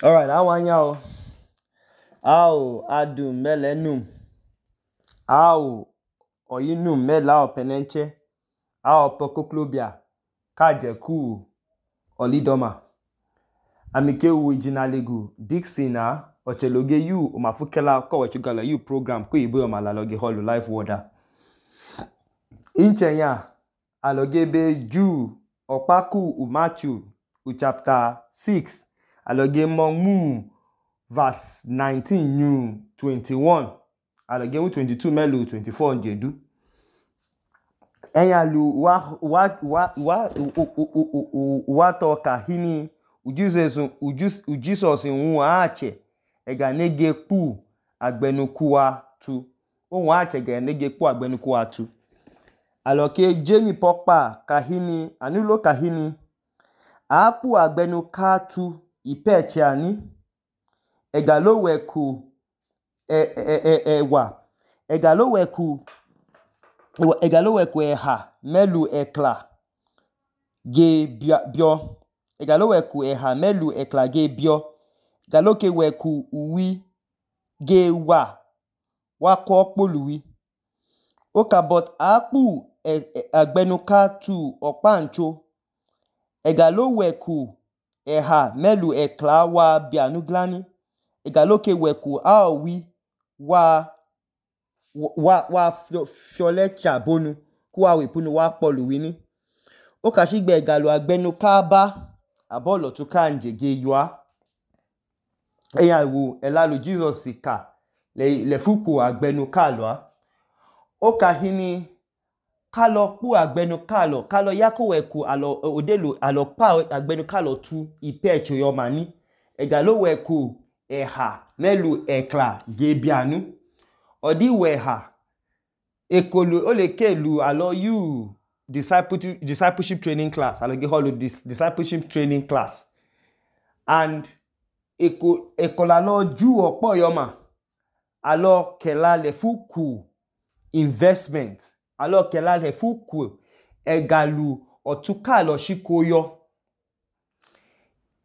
Alright, awanyao. Ao adum melenum. Ao oyinum mela openenche. Ao pokoklobia. Kajeku olidoma. Amike ujinalegu Dixon ocheloge yu umafukela kowechugala yu program kuyibo yomalaloge holu life water. Inchenya aloge be Jew okpaku Matthew chapter 6 aloge mu verse 19 new 21 aloge 22 melu 24 njedu. Enyalu wa toka hini Jesus nwa ache ega nege pu agbenukuwa tu. Nwa ache ega nege pu agbenukuwa tu. Aloke Jamie Pokpa kahini anulo kahini apu agbenuka tu ipeche ani egalo weku egalo weku eha melu ekla ge bio egalo weku eha melu ekla ge bio egalo ke weku uwi ge wa ko poluwi oka but apu agbenuka tu okpancho egalo weku eha melu ekla wa bianuglani egalo ke weku aowi wa fiolecha bonu kuwa wepunu wa poluwini oka shigbe egalo agbenuka ba abolo tuka njege yua eyawu elalu Jesus ka lefuku agbenuka lua oka hini kalo pu agbenukalo kalo yako weku alo pa agbenukalo tu ipecho yomani egalo weku eha melu ekla gebianu odi weha ekolu olekelu alo you discipleship training class alo ge holu discipleship training class and ekola lo ju okpo yoma alo kela lefuku investment alo kela lefuku egalu otukalo shikoyo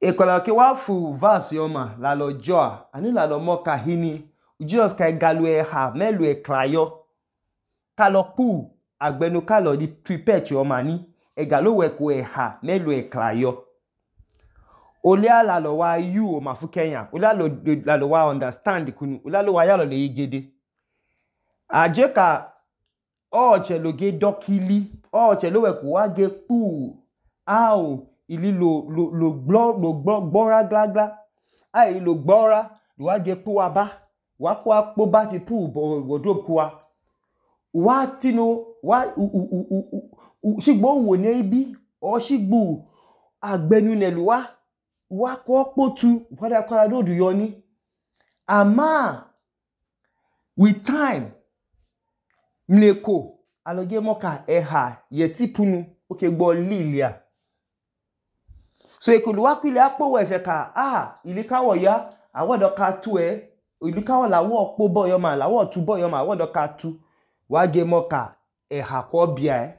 ekola ke wafu verse yoma lalo joa ani lalo moka hini Jesus ka egalu eha melu eklayo kalo pu agbenukalo di tuipecho yoma ni egalo weku eha melu eklayo olia lalo wa yu omafukenya olia lalo wa understand kunu olia lo wa yalo le igede ajeka ocheloge dokili ocheloweku wage pu au ili lo gbora glagla ai lo gbora wage pu waba wakwa kpoba ti pu wardrobe kuwa wa tino wa shigbo wo ne ibi o shigbo agbenu nelu wa ko potu wada kola dodu yoni ama with time mleko aloge moka eha yeti punu oke gbo lilia so ekolu wakwile akpo wefe ka ilikawo ya awodo ka tu ilikawo lawo kpobo yoma lawo tubo yoma awodo ka tu wage moka eha ko bia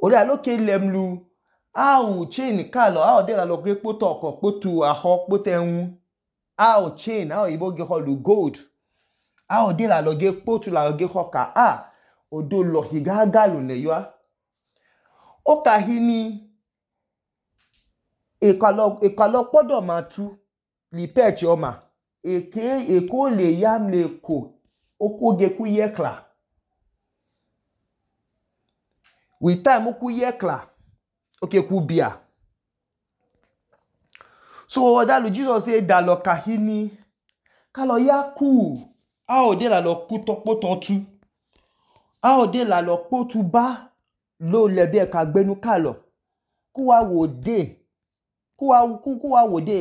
ori aloke lemlu au chain kalo au de la loge poto oko potu aho potenwu au chain au iboge holu gold au de la loge potu la loge hoka odo lo higagalu ne yua oka hini ekalo podo matu li peche oma eko le yamleko okoge ku yekla with time ku yekla oke ku bia so odalu Jesus say dalo kahini kalo yaku ao de la lo poto tu ao de la lo potu ba lo lebe ka gbenu kalo kuwa wode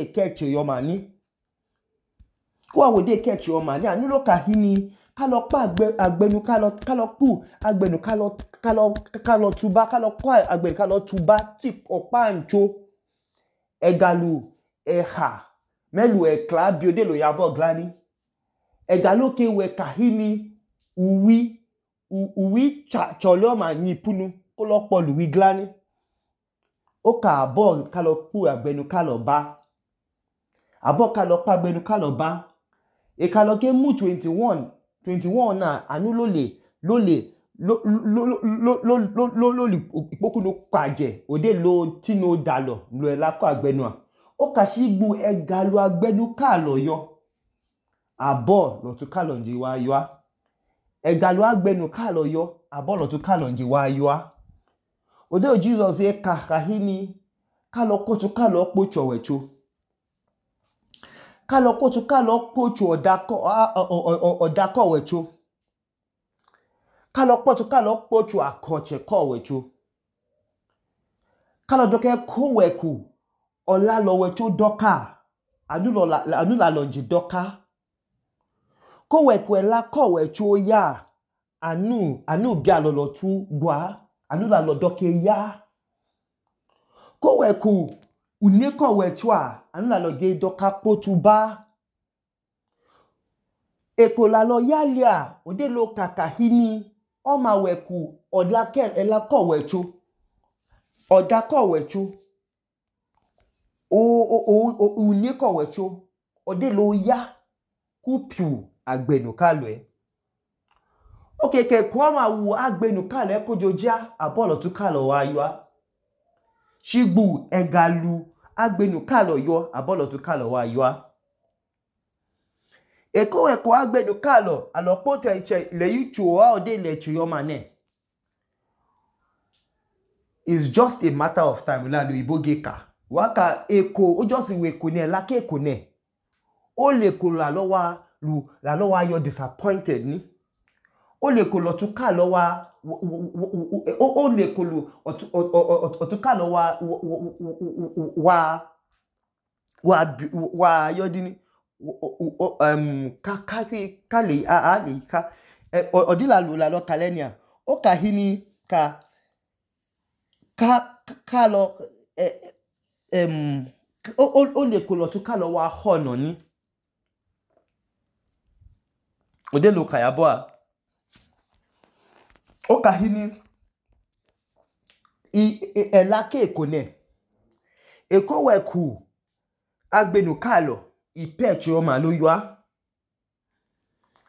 keche yomani kuwa wode keche yomani anulo kahini kalo pa agbenu kalo pu agbenu kalo tuba kalo kwa agbenu kalo tuba ti opa ncho egalu eha melu ekla biode lo yabo glani egalo ke we kahini uwi cholo ma ni punu kolo polu wi glani oka abo kalo pu agbenu kalo ba abo kalo pagbenu kalo ba kalo ke mu 21 na anu lole ipokunu kwaje ode lo tino dalo lo elako agbenu a okashigbu egalu agbenu kalo yo abo lotu kalo nji wa yo egalu agbenu kalo yo abo lotu kalo nji wa yo ode Jesus kahini kalo kotu kalo kpocho wecho kalo kotu kalo kpocho odako wecho kalo kotu kalo kpocho akoche ko wecho kalo doke ko weku olalo wecho doka anu la lonji doka ko weku ela ko wecho ya anu bialo lotu gwa anu la lo doke ya ko weku uneko wecho anu la lo ge doka kpotu ba eko la lo yalia ode lo kakahini oma weku odake ela ko wecho odako wecho uneko wecho ode lo ya kupiu agbenu kalo ke kwa ma wu agbenu kalo kojoja abolo tu kalo wa yo shigbu egalu agbenu kalo yo abolo tu kalo wa yo eko weku agbenu kalo alopo teche le yuchu ode le chuyo mane it's just a matter of time la lo ibogeka waka eko o just we ko ne la ke eko ne o le ko la lo wa yo disappointed ni o le ko lo tu kalo wa o le ko lo otu kalo wa yo dini kale ali ka odila la lo kalenia o kahini kalo o le ko lo tu kalo wa hono ni ode lo kayabo o kahini ela ke ekone eko weku agbenu kalo ipechi oma lo yo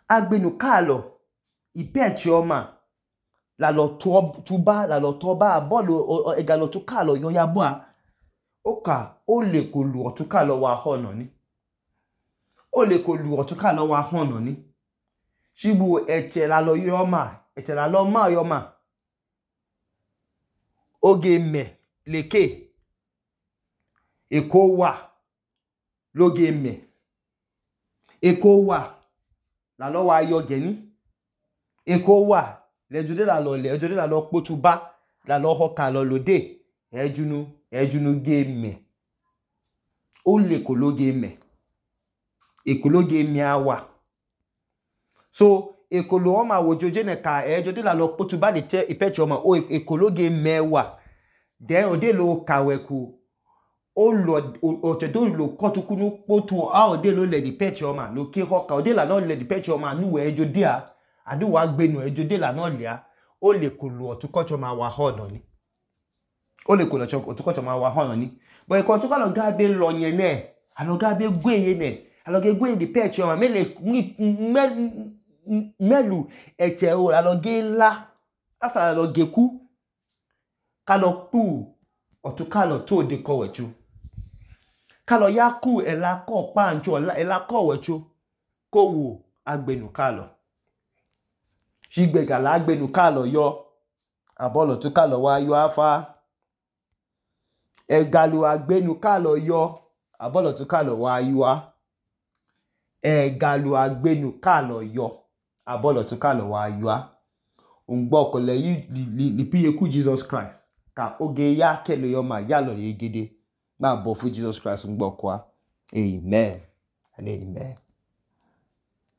agbenu kalo ipechi oma la lo tuba la lo toba bolo egalo tu kalo yo ya bo oka o le ko lu otu kalo wa hono ni o le ko lu otu kalo wa hono ni shibu eche la lo yo ma eche la lo ma yo ma oge me leke eko wa loge me eko wa la lo wa yo geni eko wa lejode la lo kpotu ba la lo hoka lo lode ejunu ge me o le ko loge me eko loge me awa so eko lo o ma wojoje ne ka ejode la lo kpotu ba de te ipechi o ma o eko loge me wa then ode lo kaweku o lo otedo lo kotukunu kpotu ode lo le di pechi o ma lo ke hoka ode la no le di pechi o ma nu we ejode adu wa gbenu ejode la no le o le ko lu otu kocho ma wa hono ni o le ko lo otu kocho ma wa hono ni but eko otu kalo ga be lo yen ne alo ga be gwe ye ne alo ge gwe di pechi o ma melu eche o alo ge la afa alo ge ku kalo pu otu kalo to de ko wechu kalo ya ku ela ko pancho ela ko wechu ko wo agbenu kalo shigbega la agbenu kalo yo abolo tu kalo wa yo afa egalu agbenu kalo yo abolo tu kalo wa yo egalu agbenu kalo yo abolo tu kalo wa yo ungbo ko le li piye ku Jesus Christ ka oge ya kelo yo ma ya lo yegede ma bo fu Jesus Christ ungbo kwa amen and amen.